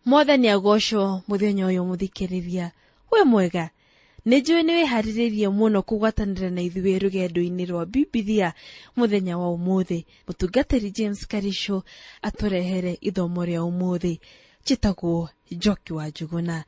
Mwathani agocwo muthenya uyu muthikiriria. We mwega, nĩ njũĩ nĩ wĩharĩrĩirie mũno kũgwatanĩra na ithuĩ rũgendo-inĩ rwa Bibilia mũthenya wa ũmũthĩ. Mũtungatĩri James Karisho atũrehere ithomo rĩa ũmũthĩ. Njĩtagwo Njoki wa Njuguna.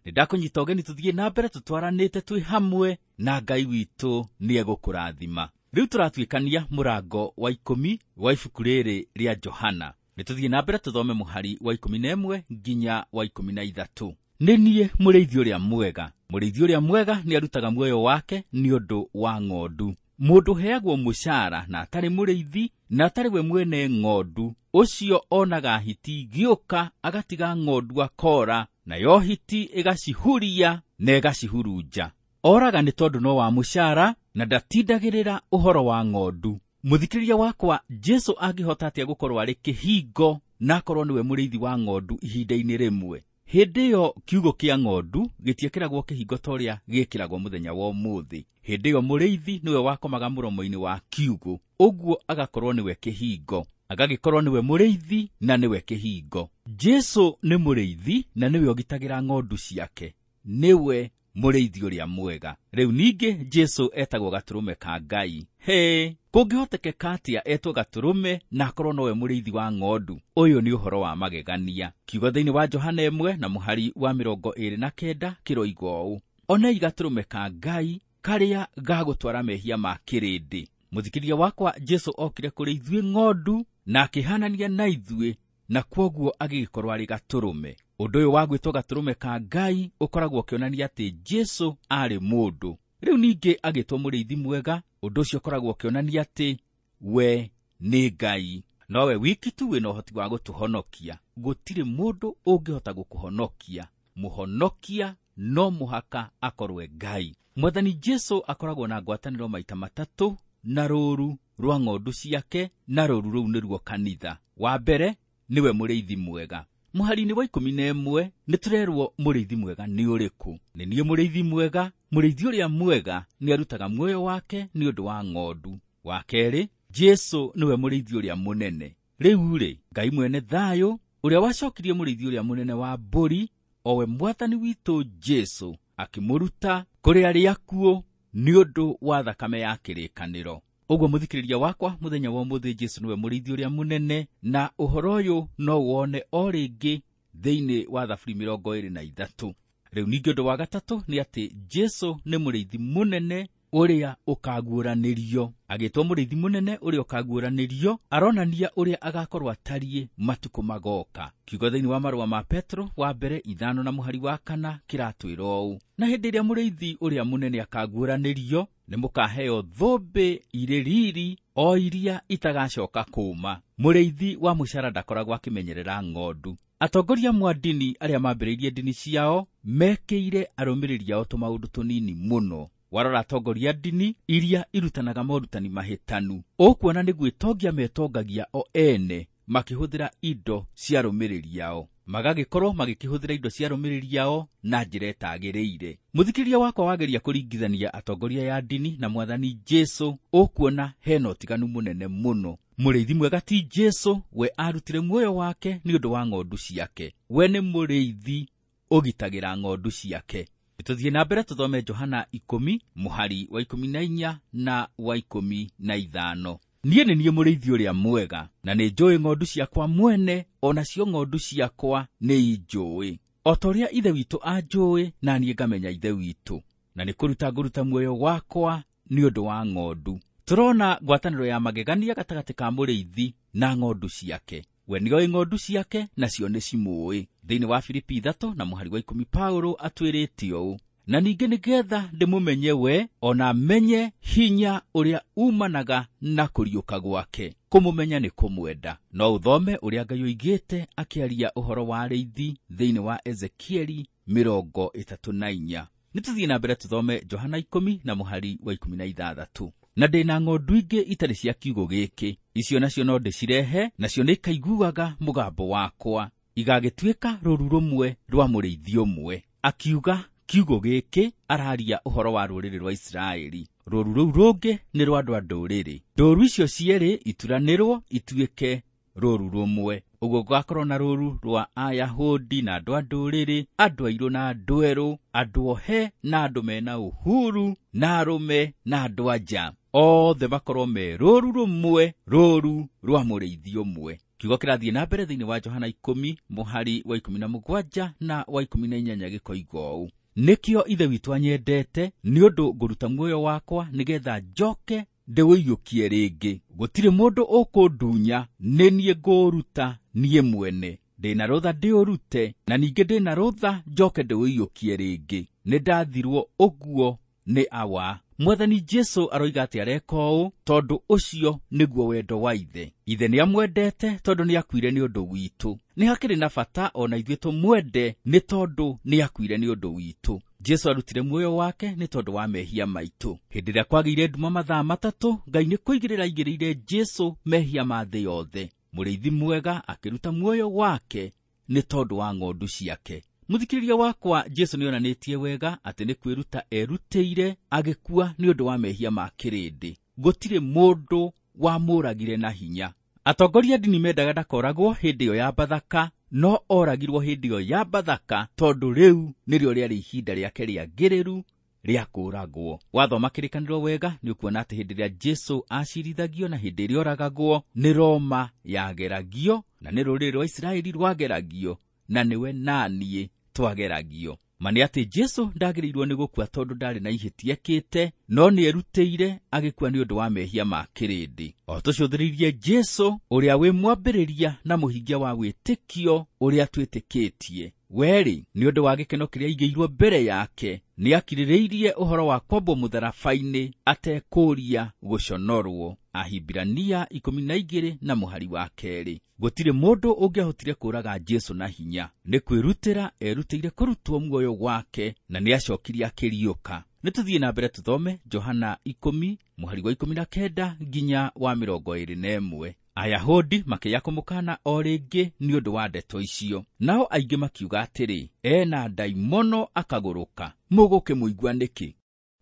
Nĩ ndakũnyita ũgeni tũthiĩ na mbere tũtwaranĩte twĩ hamwe na Ngai witũ nĩ egũkũrathima. Rĩu tũratuĩkania mũrango wa 10 wa ibuku rĩrĩ rĩa Johana. Nĩ tũthiĩ na mbere tũthome mũhari wa 11 nginya wa 13. Nĩ niĩ mũrĩithi ũrĩa mwega. Mũrĩithi ũrĩa mwega nĩ arutaga muoyo wake nĩ ũndũ wa ng'ondu. Mũndũ ũheagwo mũcara na atarĩ mũrĩithi na atarĩ we mwene ng'ondu, ũcio onaga hiti igĩũka agatiga ng'ondu akora, nayo hiti ĩgacihuria na ĩgacihurunja. Oraga nĩ tondũ no wa mũcara na ndatindagĩrĩra ũhoro wa ng'ondu. Mũthikĩrĩria wakwa, Jesu angĩhota atĩa gũkorwo arĩ kĩhingo na akorwo nĩwe mũrĩithi wa ng'ondu ihinda-inĩ rĩmwe? Hĩndĩ ĩyo kiugo kĩa ng'ondu gĩtiĩkĩragwo kĩhingo ta ũrĩa gĩĩkĩragwo mũthenya wa ũmũthĩ. Hĩndĩ ĩyo mũrĩithi nĩwe wakomaga mũromo-inĩ wa kiugo, ũguo agakorwo nĩwe kĩhingo, agagĩkorwo nĩwe mũrĩithi na nĩwe kĩhingo. Jesu nĩ mũrĩithi na nĩwe ũgitagĩra ng'ondu ciake, nĩwe mũrĩithi ũrĩa mwega. Rĩu ningĩ Jesu etagwo gatũrũme ka Ngai. He, kũngĩhotekeka atĩa etwo gatũrũme na akorwo nowe mũrĩithi wa ng'ondu? Ũyũ nĩ ũhoro wa magegania. Kiugo thĩinĩ wa Johana 1 na mũhari wa 29 kĩroiga ũũ: Onei gatũrũme ka Ngai karĩa gagũtwara mehia ma kĩrĩndĩ. Mũthikĩrĩria wakwa, Jesu okire kũrĩ ithuĩ ng'ondu na akĩhanania na ithuĩ, na kwoguo agĩgĩkorwo arĩ gatũrũme. Ũndũ ũyũ wa gwĩtwo gatũrũme ka Ngai ũkoragwo ũkĩonania atĩ Jesu aarĩ mũndũ. Rĩu ningĩ agĩtwo mũrĩithi mwega, ũndũ ũcio ũkoragwo ũkĩonania atĩ we nĩ Ngai. Nowe wiki tu wĩna ũhoti wa gũtũhonokia. Gũtirĩ mũndũ ũngĩhota gũkũhonokia. Mũhonokia no mũhaka akorwe Ngai. Mwathani Jesu akoragwo na ngwatanĩro maita matatũ na rũũru rwa ng'ondu ciake, na rũũru rũu nĩruo kanitha. Wa mbere nĩwe mũrĩithi mwega. Mũhari-inĩ wa 11 nĩ tũrerwo mũrĩithi mwega nĩ ũrĩkũ. Nĩ niĩ mũrĩithi mwega. Mũrĩithi ũrĩa mwega nĩ arutaga muoyo wake nĩ ũndũ wa ng'ondu. Wa kerĩ, Jesu nĩwe mũrĩithi ũrĩa mũnene. Rĩu rĩ, Ngai mwene thayũ ũrĩa wacokirie mũrĩithi ũrĩa mũnene wa mbũri, o we Mwathani witũ Jesu, akĩmũruta kũrĩ arĩa akuũ nĩ ũndũ wa thakame ya kĩrĩkanĩro. Ũguo mũthikĩrĩria wakwa, mũthenya wa ũmũthĩ Jesu nĩwe mũrĩithi ũrĩa mũnene, na ũhoro ũyũ no wone o rĩngĩ thĩinĩ wa Thaburi 23. Rĩu ningĩ ũndũ wa gatatũ nĩ atĩ Jesu nĩ mũrĩithi mũnene ũrĩa ũkaguũranĩrio. Agĩtwo mũrĩithi mũnene ũrĩa ũkaguũranĩrio, aronania ũrĩa agakorwo atariĩ matukũ magoka. Kiugo thĩinĩ wa marũa ma Petro wa mbere 5 na mũhari wa 4 kĩratwĩra ũũ: na hĩndĩ ĩrĩa mũrĩithi ũrĩa mũnene akaguũranĩrio, nĩ mũkaheo thũmbĩ irĩ riri o iria itagacoka kũũma. Mũrĩithi wa mũcara ndakoragwo akĩmenyerera ng'ondu. Atongoria amwe a ndini arĩa mambĩrĩirie ndini ciao mekĩire arũmĩrĩri ao tũmaũndũ tũnini mũno. Warora atongoria a ndini iria irutanaga morutani mahĩtanu, ũkuona nĩ gwĩtongia metongagia o ene makĩhũthĩra indo cia arũmĩrĩri ao, magagĩkorwo magĩkĩhũthĩra indo cia arũmĩrĩri ao na njĩra ĩtagĩrĩire. Mũthikĩrĩria wakwa, wageria kũringithania atongoria ya ndini na Mwathani Jesu, ũkuona hena ũtiganu mũnene mũno. Mũrĩithi mwega ti Jesu, we arutire muoyo wake nĩ ũndũ wa ng'ondu ciake. We nĩ mũrĩithi ũgitagĩra ng'ondu ciake. Tũthiĩ na mbere tũthome Johana 10 mũhari wa 14 na wa 15. Niĩ nĩ niĩ mũrĩithi ũrĩa mwega, na nĩ njũĩ ng'ondu ciakwa mwene, o nacio ng'ondu ciakwa nĩ injũĩ. O ta ũrĩa Ithe witũ anjũĩ, na niĩ ngamenya Ithe witũ, na nĩ kũruta ngũruta muoyo wakwa nĩ ũndũ wa ng'ondu. Tũrona ngwatanĩro ya magegania gatagatĩ ka mũrĩithi na ng'ondu ciake. We nĩoĩ ng'ondu ciake, nacio nĩ cimũĩ. Thĩinĩ wa Filipi 3 na mũhari wa 10 Paulo atwĩrĩte ũũ: na ningĩ nĩgetha ndĩmũmenye we, o na menye hinya ũrĩa umanaga na kũriũka gwake. Kũmũmenya nĩ kũmwenda. No ũthome ũrĩa Ngai oigĩte akĩaria ũhoro wa arĩithi thĩinĩ wa Ezekieli 34. Nĩ tũthiĩ na mbere tũthome Johana 10 na mũhari wa 16. Na ndĩna ng'ondu ingĩ itarĩ cia kiugo gĩkĩ, icio nacio no ndĩcirehe, nacio nĩikaiguaga mũgambo wakwa, igagĩtuĩka rũũru rũmwe rwa mũrĩithi ũmwe. Akiuga kiugo gĩkĩ araria ũhoro wa rũrĩrĩ rwa Isiraeli. Rũũru rũu rũngĩ nĩ rwa andũ a ndũrĩrĩ. Ndũũru icio cierĩ ituranĩrwo ituĩke rũũru rũmwe. Ũguo gũgakorwo na rũũru rwa Ayahudi na andũ a ndũrĩrĩ, andũ airũ na andũ erũ, andũ ohe na andũ mena uhuru, na arũme na andũ anja. Othe makorwo me rũũru rũmwe, rũũru rwa mũrĩithi ũmwe. Kiugo kĩrathiĩ na mbere thĩinĩ wa Johana 10 mũhari wa 17 na wa 18 gĩkoiga ũũ: nĩkĩo Ithe witũ anyendete, nĩ ũndũ ngũruta muoyo wakwa nĩgetha njoke ndĩũiyũkie rĩngĩ. Gũtirĩ mũndũ ũkũndunya, nĩ niĩ ngũũruta niĩ mwene. Ndĩna rũtha ndĩũrute, na ningĩ ndĩna rũtha njoke ndĩũiyũkie rĩngĩ. Nĩ ndathirwo ũguo nĩ Awa. Mwathani Jesu aroiga atĩ areka ũũ tondũ ũcio nĩguo wendo wa Ithe. Ithe nĩamwendete tondũ nĩakuire nĩ ũndũ witũ. Nĩ hakĩrĩ na bata ona ithuĩ tũmwende nĩ tondũ nĩakuire nĩ ũndũ witũ. Jesu arutire muoyo wake nĩ tondũ wa mehia maitũ. Hĩndĩ ĩrĩa kwagĩire nduma mathaa 3, Ngai nĩ kũigĩrĩra aigĩrĩire Jesu mehia ma thĩ yothe. Mũrĩithi mwega akĩruta muoyo wake nĩ tondũ wa ng'ondu ciake. Mũthikĩrĩria wakwa, Jesu nĩonanĩtie wega atĩ nĩ kwĩruta erutĩire agĩkua nĩ ũndũ wa mehia ma kĩrĩndĩ. Gũtirĩ mũndũ wamũragire na hinya. Atongoria a ndini mendaga ndakoragwo hĩndĩ ĩyo ya Bathaka, no oragirwo hĩndĩ ĩyo ya Bathaka tondũ rĩu nĩrĩo rĩarĩ ihinda rĩake rĩagĩrĩru rĩa kũũragwo. Wathoma kĩrĩkanĩro wega nĩ ũkuona atĩ hĩndĩ ĩrĩa Jesu acirithagio na hĩndĩ ĩrĩa oragagwo nĩ Roma yageragio, na nĩ rũrĩrĩ rwa Isiraeli rwageragio, na nĩwe naniĩ twageragio. Ma nĩ atĩ Jesu ndagĩrĩirwo nĩ gũkua tondũ ndarĩ na ihĩtia ekĩte, no nĩerutĩire agĩkua nĩ ũndũ wa mehia ma kĩrĩndĩ. O tũcũthĩrĩirie Jesu ũrĩa wĩ mwambĩrĩria na mũhingia wa wĩtĩkio ũrĩa twĩtĩkĩtie. Werĩ, nĩ ũndũ wa gĩkeno kĩrĩa aigĩirwo mbere yake, nĩakirĩrĩirie ũhoro wa kwambwo mũtharaba-inĩ atekũũria gũconorwo. Ahibirania 12 na mũhari wa 2. Gũtirĩ mũndũ ũngĩahotire kũũraga Jesu na hinya. Nĩ kwĩrutĩra erutĩire kũrutwo muoyo wake, na nĩacokirie akĩriũka. Nĩ tũthiĩ na mbere tũthome Johana 10 mũhari wa 19 nginya wa 21. Ayahudi makĩya kũmũkana o rĩngĩ nĩ ũndũ wa ndeto icio. Nao aingĩ makiuga atĩrĩ, ena ndaimono akagũrũka, mũgũkĩmũigua nĩkĩ?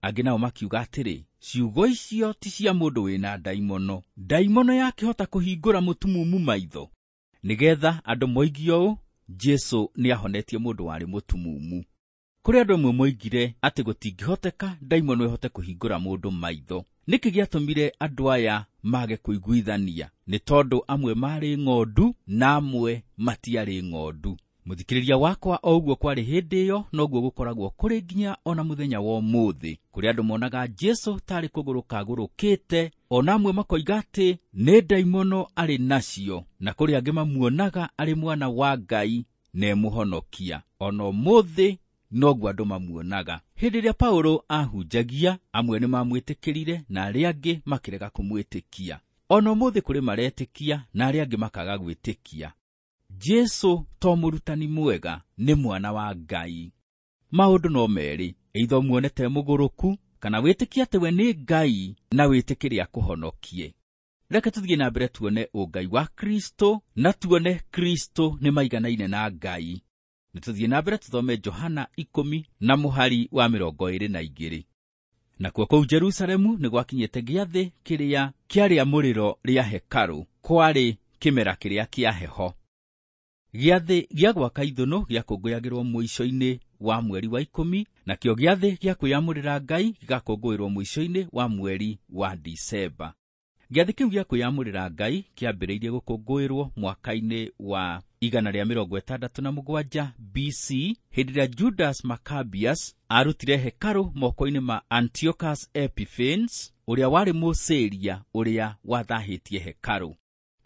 Angĩ nao makiuga atĩrĩ, ciugo icio ti cia mũndũ wĩna ndaimono. Ndaimono yakĩhota kũhingũra mũtumumu maitho? Nĩgetha andũ moigie ũũ, Jesu nĩahonetie mũndũ warĩ mũtumumu. Kũrĩ andũ amwe moigire atĩ gũtingĩhoteka ndaimono ĩhote kũhingũra mũndũ maitho. Nĩkĩ gĩatũmire andũ aya mage kũiguithania? Nĩ tondũ amwe marĩ ng'ondu na amwe matiarĩ ng'ondu. Mũthikĩrĩria wakwa, o ũguo kwarĩ hĩndĩ ĩyo noguo gũkoragwo kũrĩ nginya ona mũthenya wa ũmũthĩ. Kũrĩ andũ monaga Jesu tarĩ kũgũrũka agũrũkĩte, ona amwe makoiga atĩ nĩ ndaimono arĩ nacio, na kũrĩ angĩ mamuonaga arĩ mwana wa Ngai na emũhonokia. Ona ũmũthĩ noguo andũ mamuonaga. Hĩndĩ ĩrĩa Paulo ahunjagia, amwe nĩmamwĩtĩkĩrire na arĩa angĩ makĩrega kũmwĩtĩkia. Ona ũmũthĩ kũrĩ maretĩkia na arĩa angĩ makaga gwĩtĩkia. Jesu to mũrutani mwega, nĩ mwana wa Ngai. Maũndũ no merĩ, either ũmuone te mũgũrũku kana wĩtĩkie atĩ we nĩ Ngai na wĩtĩkĩre akũhonokie. Reke tũthiĩ na mbere tuone ũngai wa Kristo na tuone Kristo nĩ maiganaine na Ngai. Nĩ tũthiĩ na mbere tũthome Johana 10 na mũhari wa 22. Nakuo kũu Jerusalemu nĩ gwakinyĩte gĩathĩ kĩrĩa kĩarĩ mũrĩro rĩa hekarũ, kwarĩ kĩmera kĩrĩa kĩa heho. Gĩathĩ gĩa gwaka ithũnũ gĩakũngũyagĩrwo mũico-inĩ wa mweri wa 10, nakĩo gĩathĩ gĩa kwĩyamũrĩra Ngai gĩgakũngũĩrwo mũico-inĩ wa mweri wa Disemba. Gĩathĩ kĩu gĩa kwĩyamũrĩra Ngai kĩambĩrĩirie gũkũngũĩrwo mwaka-inĩ wa 167 BC, hĩndĩ ĩrĩa Judas Maccabeus arutire hekarũ moko-inĩ ma Antiochus Epiphanes, ũrĩa warĩ Mũsĩria ũrĩa wathahĩtie hekarũ.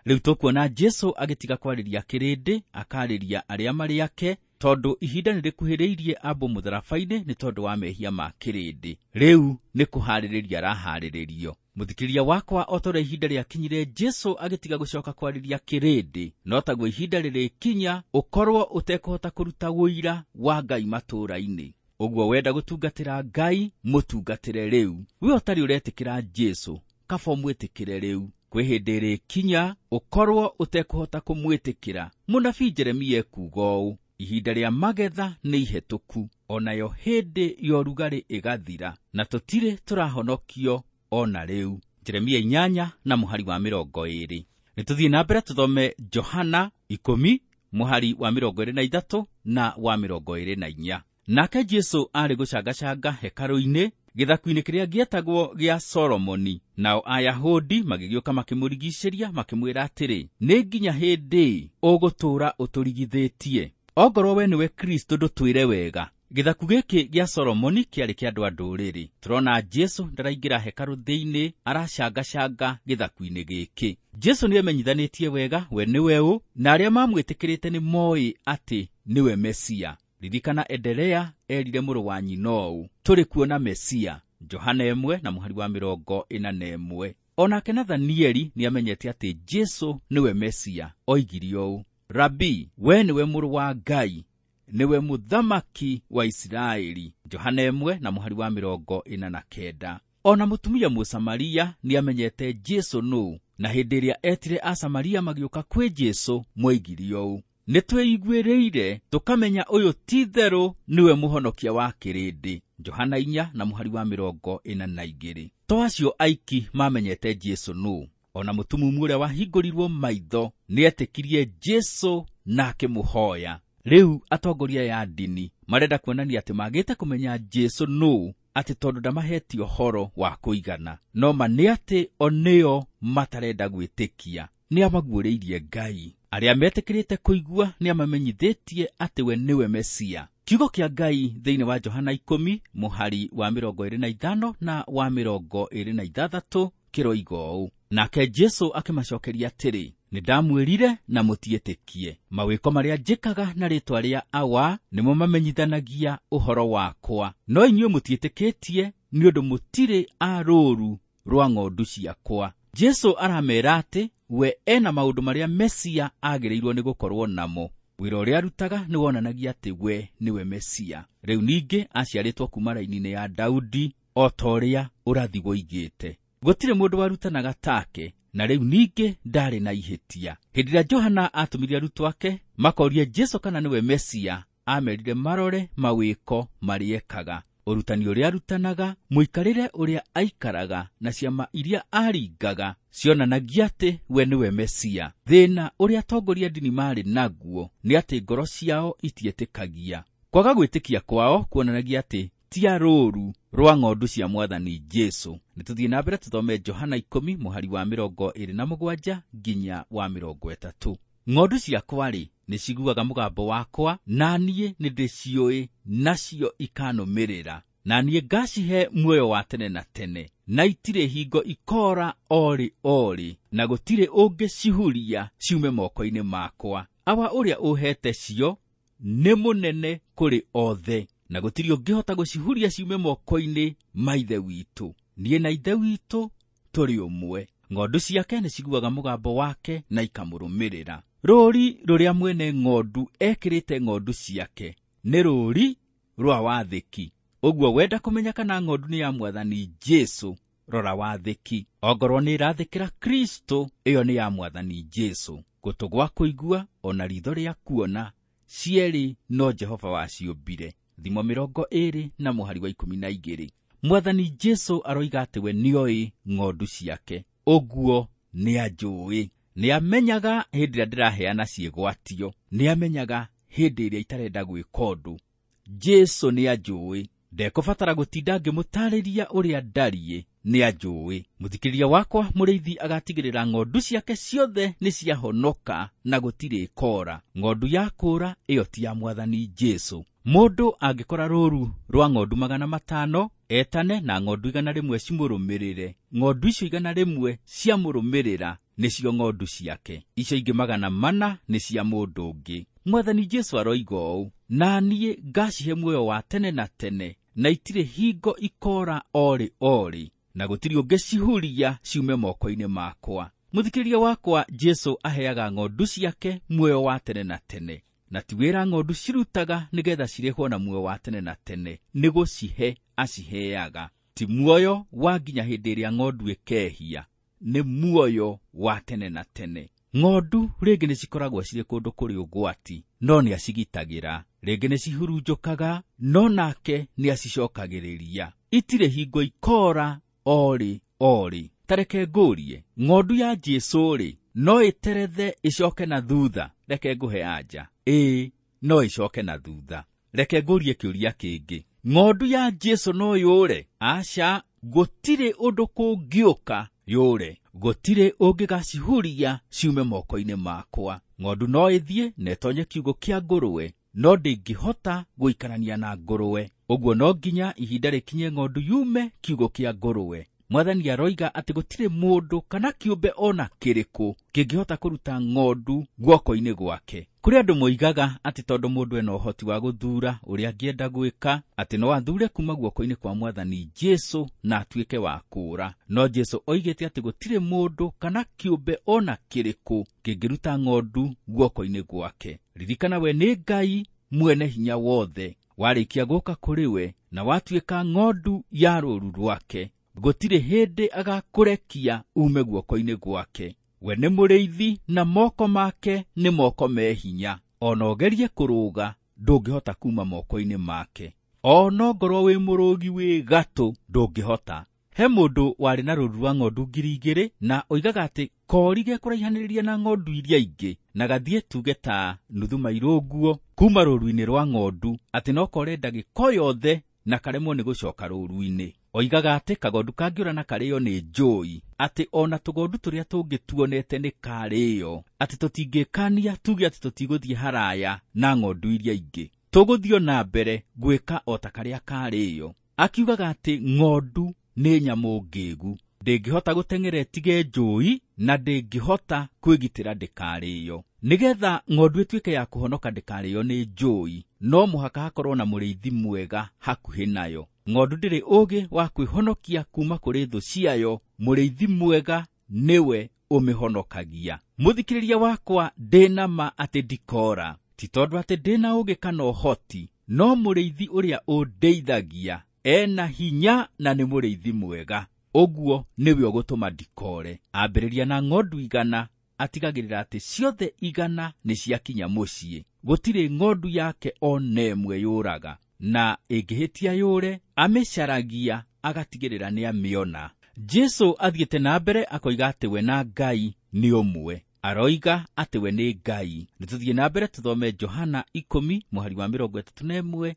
Rĩu tũkuona Jesu agĩtiga kwarĩria kĩrĩndĩ, akarĩria arĩa marĩ ake, tondũ ihinda nĩrĩkuhĩrĩirie ambwo mũtharaba-inĩ nĩ tondũ wa mehia ma kĩrĩndĩ. Rĩu nĩ kũharĩrĩria araharĩrĩrio. Mũthikĩrĩria wakwa, o ta ũrĩa ihinda rĩakinyire Jesu agĩtiga gũcoka kwarĩria kĩrĩndĩ, no taguo ihinda rĩrĩkinya ũkorwo ũtekũhota kũruta ũira wa Ngai matũũra-inĩ. Ũguo wenda gũtungatĩra Ngai, mũtungatĩre rĩu. We ũtarĩ ũretĩkĩra Jesu, kaba ũmwĩtĩkĩre rĩu. Kwĩ hĩndĩ ĩrĩkinya ũkorwo ũtekũhota kũmwĩtĩkĩra. Mũnabii Jeremia ekuuga ũũ, ihinda rĩa magetha nĩ ihĩtũku, onayo hĩndĩ ya ũrugarĩ ĩgathira, na tũtirĩ tũrahonokio ona rĩu. Jeremia 8 na mũhari wa 20. Nĩ tũthiĩ na mbere tũthome Johana 10 mũhari wa 23 na wa 24. Nake Jesũ arĩ gũcangacanga hekarũ-inĩ gĩthaku-inĩ kĩrĩa gĩetagwo gĩa Solomoni, nao Ayahudi magĩgĩũka makĩmũrigicĩria makĩmwĩra atĩrĩ, nĩ nginya hĩndĩ ũgũtũũra ũtũrigithĩtie? Ongorwo we nĩwe Kristo ndũtwĩre wega. Gĩthaku gĩkĩ gĩa Solomoni kĩarĩ kĩa andũ a ndũrĩrĩ. Tũrona Jesũ ndaraingĩra hekarũ thĩinĩ, aracangacanga gĩthaku-inĩ gĩkĩ. Jesũ nĩemenyithanĩtie wega we nĩwe ũ, na arĩa mamwĩtĩkĩrĩte nĩ moĩ atĩ nĩwe Mesia. Ririkana Endelea erire mũrũ wa nyina ũũ, tũrĩ kuona Mesia. Johana 1 na mũhari wa 41. Onake Nathanieli nĩamenyete atĩ Jesũ nĩwe Mesia. Oigire ũũ, Rabi, we nĩwe mũrũ wa Ngai, nĩwe mũthamaki wa Isiraeli. Johana 1 na mũhari wa 49. Ona mũtumia Mũsamaria nĩamenyete Jesũ nũũ, na hĩndĩ ĩrĩa etire Asamaria magĩũka kwĩ Jesũ moigire ũũ, nĩtwĩiguĩrĩire tũkamenya ũyũ ti itherũ nĩwe mũhonokia wa kĩrĩndĩ. Johana 4 na mũhari wa 42. To acio aiki mamenyete Jesũ nũũ, ona mũtumumu ũrĩa wahingũrirwo maitho nĩetĩkirie Jesũ na akĩmũhoya. Rĩu atongoria ya ndini marenda kuonania atĩ magĩte kũmenya Jesũ nũũ atĩ tondũ ndamahete ũhoro wa kũigana, no ma nĩ atĩ o nĩo matarenda gwĩtĩkia. Nĩamaguũrĩirie Ngai. Arĩa metĩkĩrĩte kũigua nĩamamenyithĩtie atĩ we nĩwe Mesia. Kiugo kĩa Ngai thĩinĩ wa Johana 10 mũhari wa 25 na wa 26 kĩroiga ũũ, nake Jesũ akĩmacokeria atĩrĩ, nĩndamwĩrire na mũtiĩtĩkie. Mawĩko marĩa njĩkaga na rĩĩtwa rĩa Awa nĩmo mamenyithanagia ũhoro wakwa, no inyuĩ mũtiĩtĩkĩtie nĩ ũndũ mũtirĩ a rũũru rwa ng'ondu ciakwa. Jesũ aramera atĩ we ena maũndũ marĩa Mesia agĩrĩirwo nĩ gũkorwo namo. Wĩra ũrĩa arutaga nĩ wonanagia atĩ we nĩwe Mesia. Rĩu ningĩ aciarĩtwo kuma raini-inĩ ya Daudi o ta ũrĩa ũrathi woigĩte. Gũtirĩ mũndũ warutanaga take, na rĩu ningĩ ndarĩ na ihĩtia. Hĩndĩ ĩrĩa Johana atũmire arutwo ake makorie Jesũ kana nĩwe Mesia, amerire marore mawĩko marĩa ekaga, ũrutani ũrĩa arutanaga, mũikarĩre ũrĩa aikaraga, na ciama iria aringaga cionanagia atĩ we nĩwe Mesia. Thĩna ũrĩa atongoria ndini marĩ naguo nĩ atĩ ngoro ciao itietĩkagia. Kwaga gwĩtĩkia kwao kuonanagia atĩ ti a rũũru rwa ng'ondu cia Mwathani Jesũ. Nĩtũthiĩ na mbere tũthome Johana 10 mũhari wa 27 nginya wa 30. Ng'ondu ciakwa-rĩ, nĩciguaga mũgambo wakwa, na niĩ nĩndĩciũĩ, nacio ikanũmĩrĩra. Na niĩ ngacihe muoyo wa tene na tene, na itirĩ hingo ikora orĩ orĩ, na gũtirĩ ũngĩcihuria ciume moko-inĩ makwa. Awa ũrĩa ũhete cio nĩ mũnene kũrĩ othe, na gũtirĩ ũngĩhota gũcihuria ciume moko-inĩ ma Ithe witũ. Niĩ na Ithe witũ tũrĩ ũmwe. Ng'ondu ciake nĩciguaga mũgambo wake na ikamũrũmĩrĩra. Rũũri rũrĩa mwene ng'ondu ekĩrĩte ng'ondu ciake nĩ rũũri rwa wathĩki. Ũguo wenda kũmenya kana ng'ondu nĩ ya Mwathani Jesũ, rora wathĩki. Ongorwo nĩ ĩrathĩkĩra Kristo, ĩyo nĩ ya Mwathani Jesũ. Gũtũ gwa kũigua ona ritho rĩa kuona, cierĩ no Jehova waciũmbire. Thimo 20 na mũhari wa 12. Mwathani Jesũ aroiga atĩ we nĩoĩ ng'ondu ciake, ũguo nĩanjũĩ. Nĩamenyaga hĩndĩ ĩrĩa ndĩraheana ciĩgwatio, nĩamenyaga hĩndĩ ĩrĩa itarenda gwĩka ũndũ. Jesũ nĩanjũĩ, ndekũbatara gũtinda ngĩmũtaarĩria ũrĩa ndariĩ, nĩanjũĩ. Mũthikĩrĩria wakwa mũrĩithi agatigĩrĩra ng'ondu ciake ciothe nĩciahonoka na gũtirĩ koora. Ng'ondu ya kũũra ĩyo ti ya Mwathani Jesũ. Mũndũ angĩkora rũũru rwa ng'ondu 500, etane na ng'ondu 100 cimũrũmĩrĩre. Ng'ondu icio 100 ciamũrũmĩrĩra nĩcio ng'ondu ciake, icio ingĩ 400 nĩ cia mũndũ ũngĩ. Mwathani Jesũ aroiga ũũ, na niĩ ngacihe muoyo wa tene na tene, na itirĩ hingo ikora orĩ orĩ, na gũtirĩ ũngĩcihuria ciume moko-inĩ makwa. Mũthikĩrĩria wakwa, Jesũ aheaga ng'ondu ciake muoyo wa tene na tene, na ti wĩra ng'ondu cirutaga nĩgetha cirĩhwo na muoyo wa tene na tene, nĩ gũcihe aciheaga. Ti muoyo wa nginya hĩndĩ ĩrĩa ng'ondu ĩkehia, nĩ muoyo wa tene na tene. Ng'ondu rĩngĩ nĩcikoragwo cirĩ kũndũ kũrĩ ũgwati, no nĩacigitagĩra. Rĩngĩ nĩcihurunjũkaga, no nake nĩacicokagĩrĩria. Itirĩ hingo ikora orĩ orĩ. Tareke ngũrie, ng'ondu ya Jesũ-rĩ, No ĩterethe ĩcoke na thutha? Reke ngũhe anja. Ĩĩ, no ĩcoke na thutha. Reke ngũrie kĩũria kĩngĩ. Ng'ondu ya Jesũ no yũre? Aca, gũtirĩ ũndũ kũngĩũka yũre. Gũtirĩ ũngĩgacihuria ciume moko-inĩ makwa. Ng'ondu no ĩthiĩ na ĩtonye kiugũ kĩa ngũrwe, no ndĩngĩhota gũikarania na ngũrwe. Ũguo no nginya ihinda rĩkinye ng'ondu yume kiugũ kĩa ngũrwe. Mwathani aroiga atĩ gũtirĩ mũndũ kana kĩũmbe ona kĩrĩkũ kĩngĩhota kũruta ng'ondu guoko-inĩ gwake. Kũrĩ andũ moigaga atĩ tondũ mũndũ ena ũhoti wa gũthuura ũrĩa angĩenda gwĩka, atĩ no athuure kuma guoko-inĩ kwa Mwathani Jesũ na atuĩke wa kũũra. No Jesũ oigĩte atĩ gũtirĩ mũndũ kana kĩũmbe ona kĩrĩkũ kĩngĩruta ng'ondu guoko-inĩ gwake. Ririkana we nĩ Ngai mwene hinya wothe, warĩkia gũka kũrĩ we na watuĩka ng'ondu ya rũũru rwake. Gũtirĩ hĩndĩ agakũrekia ume guoko-inĩ gwake. We nĩ mũrĩithi na moko make nĩ moko me hinya. Ona ũgerie kũrũga ndũngĩhota kuma moko-inĩ make. Ona ongorwo wĩ mũrũgi wĩ gatũ ndũngĩhota. He mũndũ warĩ na rũũru rwa ng'ondu 2,000 na oigaga atĩ kori gekũraihanĩrĩria na ng'ondu iria ingĩ na gathiĩ tuge ta nuthu mairũ ũguo kuma rũũru-inĩ rwa ng'ondu, atĩ no kore ndagĩka o yothe na karemwo nĩ gũcoka rũũru-inĩ. Oigaga atĩ kagondu kangĩũra na karĩo nĩ njũi, atĩ ona tũgondu tũrĩa tũngĩ tuonete nĩ karĩo, atĩ tũtingĩkania tuge atĩ tũtigũthiĩ haraya na ng'ondu iria ingĩ, tũgũthiĩ na mbere gwĩka o ta karĩa karĩo. Akiugaga atĩ ng'ondu nĩ nyamũ ngĩgu, ndĩngĩhota gũteng'era ĩtige njũi na ndĩngĩhota kwĩgitĩra ndĩkarĩo. Nĩgetha ng'ondu ĩtuĩke ya kũhonoka ndĩkarĩo nĩ njũi, no mũhaka hakorwo na mũrĩithi mwega hakuhĩ nayo. Ng'ondu ndĩrĩ ũũgĩ wa kwĩhonokia kuma kũrĩ thũ ciayo, mũrĩithi mwega nĩwe ũmĩhonokagia. Mũthikĩrĩria wakwa, ndĩna ma atĩ ndikora, ti tondũ atĩ ndĩna ũũgĩ kana ũhoti, no mũrĩithi ũrĩa ũndeithagia ena hinya na nĩ mũrĩithi mwega. Ũguo nĩwe ũgũtũma ndikore. Ambĩrĩria na ng'ondu 100, atigagĩrĩra atĩ ciothe 100 nĩ ciakinya mũciĩ. Gũtirĩ ng'ondu yake ona ĩmwe yũraga, na ĩngĩhĩtia yũre, amĩcaragia agatigĩrĩra nĩ amĩona. Jesũ athiĩte na mbere akoiga atĩ we na Ngai nĩ ũmwe. Aroiga atĩ we nĩ Ngai. Nĩtũthiĩ na mbere tũthome Johana 10 mũhari wa 31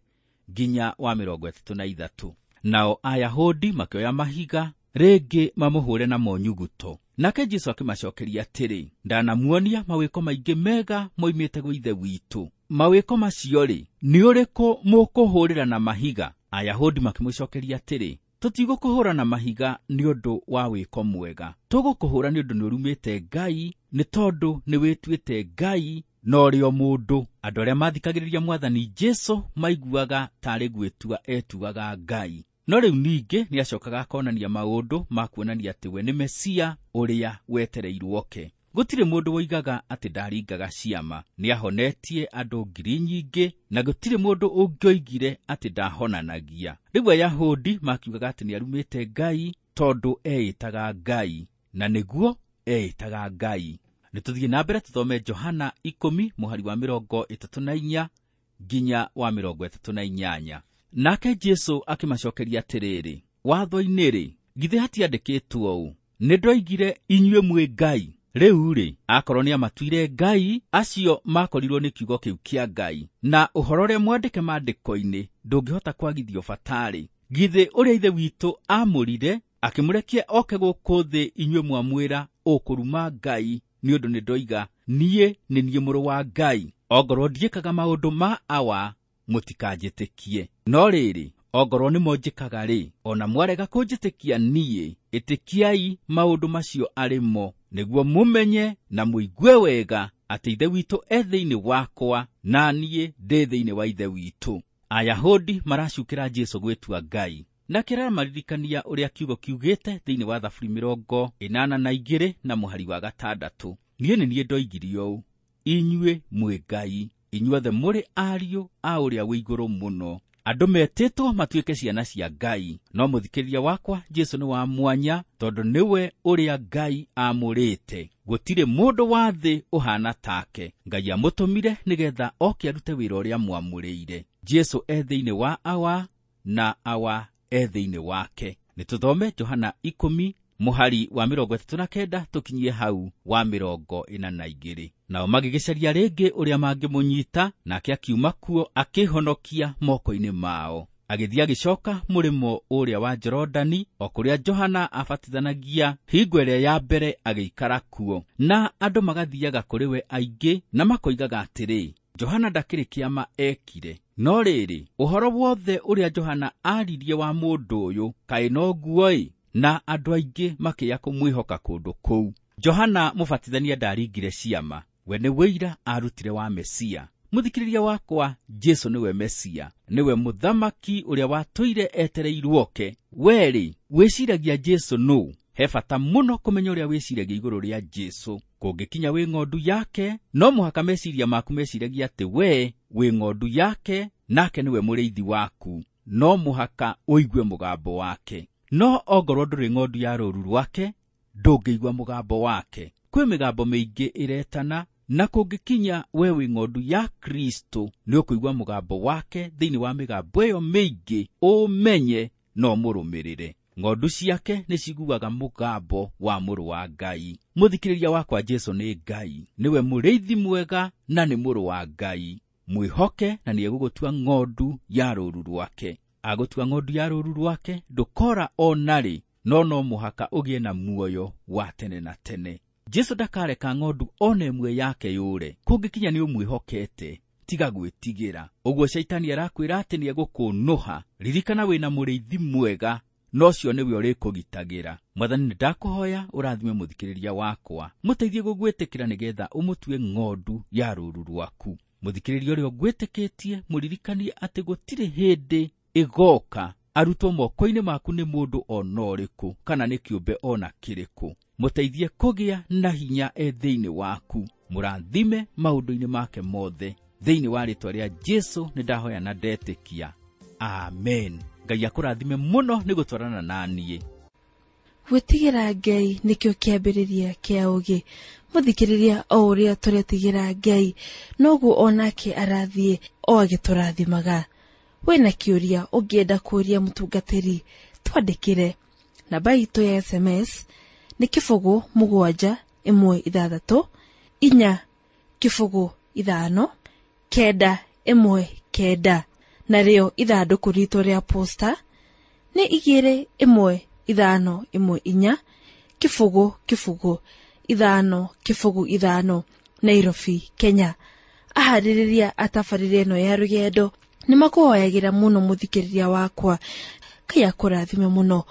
nginya wa 33. Nao Ayahudi makĩoya mahiga rĩngĩ mamũhũre namo nyuguto. Nake Jesũ akĩmacokeria atĩrĩ, ndanamuonia mawĩko maingĩ mega moimĩte gwĩ Ithe witũ. Mawĩko macio-rĩ, nĩ ũrĩkũ mũkũhũrĩra na mahiga? Ayahudi makĩmũcokeria atĩrĩ, tũtigũkũhũra na mahiga nĩ ũndũ wa wĩko mwega, tũgũkũhũra nĩ ũndũ nĩũrumĩte Ngai, nĩ tondũ nĩwĩtuĩte Ngai na ũrĩ o mũndũ. Andũ arĩa mathikagĩrĩria Mwathani Jesũ maiguaga tarĩ gwĩtua etuaga Ngai. No rĩu ningĩ nĩacokaga akonania maũndũ ma kuonania atĩ we nĩ Mesia ũrĩa wetereirwo oke. Gũtirĩ mũndũ woigaga atĩ ndaringaga ciama. Nĩahonetie andũ 1,000 nyingĩ, na gũtirĩ mũndũ ũngĩoigire atĩ ndahonanagia. Rĩu Ayahudi makiugaga atĩ nĩarumĩte Ngai tondũ eĩtaga Ngai, na nĩguo eĩtaga Ngai. Nĩtũthiĩ na mbere tũthome Johana 10 mũhari wa 34 nginya wa 38. Nake Jesũ akĩmacokeria atĩrĩrĩ, watho-inĩ-rĩ, githĩ hatiandĩkĩtwo ũũ, nĩ ndoigire inyuĩ mwĩ Ngai? Rĩu-rĩ, akorwo nĩamatuire Ngai, acio makorirwo nĩ kiugo kĩu kĩa Ngai, na ũhoro ũrĩa mwandĩke maandĩko-inĩ ndũngĩhota kwagithio batarĩ. Githĩ ũrĩa Ithe witũ aamũrire akĩmũrekia oke gũkũ thĩ inyuĩ mwamwĩra ũkũruma Ngai, nĩ ũndũ nĩ ndoiga niĩ nĩ niĩ mũrũ wa Ngai. Ongorwo ndiĩkaga maũndũ ma Awa, mũtikanjĩtĩkie. No rĩrĩ, ongorwo nĩmo njĩkaga rĩ, ona mwarega kũnjĩtĩkia niĩ, ĩtĩkiai maũndũ macio arĩ mo, nĩguo mũmenye na mũigue wega atĩ Ithe witũ e thĩinĩ wakwa, na niĩ ndĩ thĩinĩ wa Ithe witũ. Ayahudi maracukĩra Jesũ gwĩtua Ngai. Nake aramaririkania ũrĩa kiugo kiugĩte thĩinĩ wa Thaburi 82 na mũhari wa 6. Niĩ nĩ niĩ ndoigire ũũ, inyuĩ mwĩ Ngai, inyuothe mũrĩ ariũ a ũrĩa wĩ igũrũ mũno. Andũ metĩtwo matuĩke ciana cia Ngai. No mũthikĩrĩria wakwa, Jesũ nĩ wa mwanya tondũ nĩwe ũrĩa Ngai aamũrĩte. Gũtirĩ mũndũ wa thĩ ũhaana take. Ngai amũtũmire nĩgetha oke arute wĩra ũrĩa mwamũrĩire. Jesũ e thĩinĩ wa Awa na Awa e thĩinĩ wake. Nĩtũthome Johana 10 Mũhari wa 39 tũkinyie hau wa 42. Nao magĩgĩcaria rĩngĩ ũrĩa mangĩmũnyita, nake akiuma kuo akĩhonokia moko-inĩ mao. Agĩthiĩ agĩcoka mũrĩmo ũrĩa wa Jorodani, o kũrĩa Johana abatithanagia hingo ĩrĩa ya mbere agĩikara kuo. Na andũ magathiaga kũrĩ we aingĩ na makoigaga atĩrĩ, Johana ndakĩrĩ kĩama ekire. No rĩrĩ, ũhoro wothe ũrĩa Johana aaririe wa mũndũ ũyũ kaĩ noguo-ĩ? Na andũ aingĩ makĩya kũmwĩhoka kũndũ kũu. Johana mũbatithania ndaringire ciama, we nĩ wĩira arutire wa Mesia. Mũthikĩrĩria wakwa, Jesu nĩwe Mesia, nĩwe mũthamaki ũrĩa watũire etereirwo oke. We-rĩ, wĩciragia Jesu nũ? He bata mũno kũmenya ũrĩa wĩciragia igũrũ rĩa Jesu. Kũngĩkinya wĩ ng'ondu yake, no mũhaka meciria maku meciragia atĩ we wĩ ng'ondu yake, nake nĩwe mũrĩithi waku. No mũhaka ũigue mũgambo wake. No ongorwo ndũrĩ ng'ondu ya rũũru rwake, ndũngĩigua mũgambo wake. Kwĩ mĩgambo mĩingĩ ĩretana, na kũngĩkinya we wĩ ng'ondu ya Kristo, nĩ ũkũigua mũgambo wake thĩinĩ wa mĩgambo ĩyo mĩingĩ, ũmenye no mũrũmĩrĩre. Ng'ondu ciake nĩ ciguaga mũgambo wa mũrũ wa Ngai. Mũthikĩrĩria wakwa, Jesu nĩ Ngai, nĩwe mũrĩithi mwega na nĩ mũrũ wa Ngai. Mwĩhoke na nĩegũgũtua ng'ondu ya rũũru rwake. Agũtua ng'ondu ya rũũru rwake, ndũkora o narĩ, no no mũhaka ũgĩe na muoyo wa tene na tene. Jesu ndakareka ng'ondu ona ĩmwe yake yũre. Kũngĩkinya nĩ ũmwĩhokete, tiga gwĩtigĩra. Ũguo Shaitani arakwĩra atĩ nĩegũkũnũha. Ririkana wĩna mũrĩithi mwega, na ũcio nĩwe ũrĩkũgitagĩra. Mwathani, nĩ ndakũhoya ũrathime mũthikĩrĩria wakwa, mũteithie gũgwĩtĩkĩra nĩgetha ũmũtue ng'ondu ya rũũru rwaku. Mũthikĩrĩria ũrĩa ũngwĩtĩkĩtie, mũririkanie atĩ gũtirĩ hĩndĩ ĩgoka arutwo moko-inĩ maku nĩ mũndũ ona ũrĩkũ kana nĩ kĩũmbe ona kĩrĩkũ. Mũteithie kũgĩa na hinya e thĩinĩ waku, mũrathime maũndũ-inĩ make mothe. Thĩinĩ wa rĩtwa rĩa Jesu nĩ ndahoya na ndetĩkia, amen. Ngai akũrathime mũno nĩ gũtwarana na niĩ. Gwĩtigĩra Ngai nĩkĩo kĩambĩrĩria kĩa ũũgĩ. Mũthikĩrĩria, o ũrĩa tũretigĩra Ngai, noguo onake arathiĩ o agĩtũrathimaga. Wĩna kĩũria ũngĩenda kũũria mũtungatĩri, twandĩkĩre. Namba itũ ya SMS nĩ 0 7 1 6 4 0 5 9 1 9, narĩo ithandũkũ ritũ rĩa posta nĩ 2 1 5 1 4 0 0 5 0 5, Nairobi, Kenya. Aharĩrĩria a tabarĩra ĩno ya rũgendo nĩ makũhoyagĩra mũno mũthikĩrĩria wakwa. Ngai akũrathime mũno.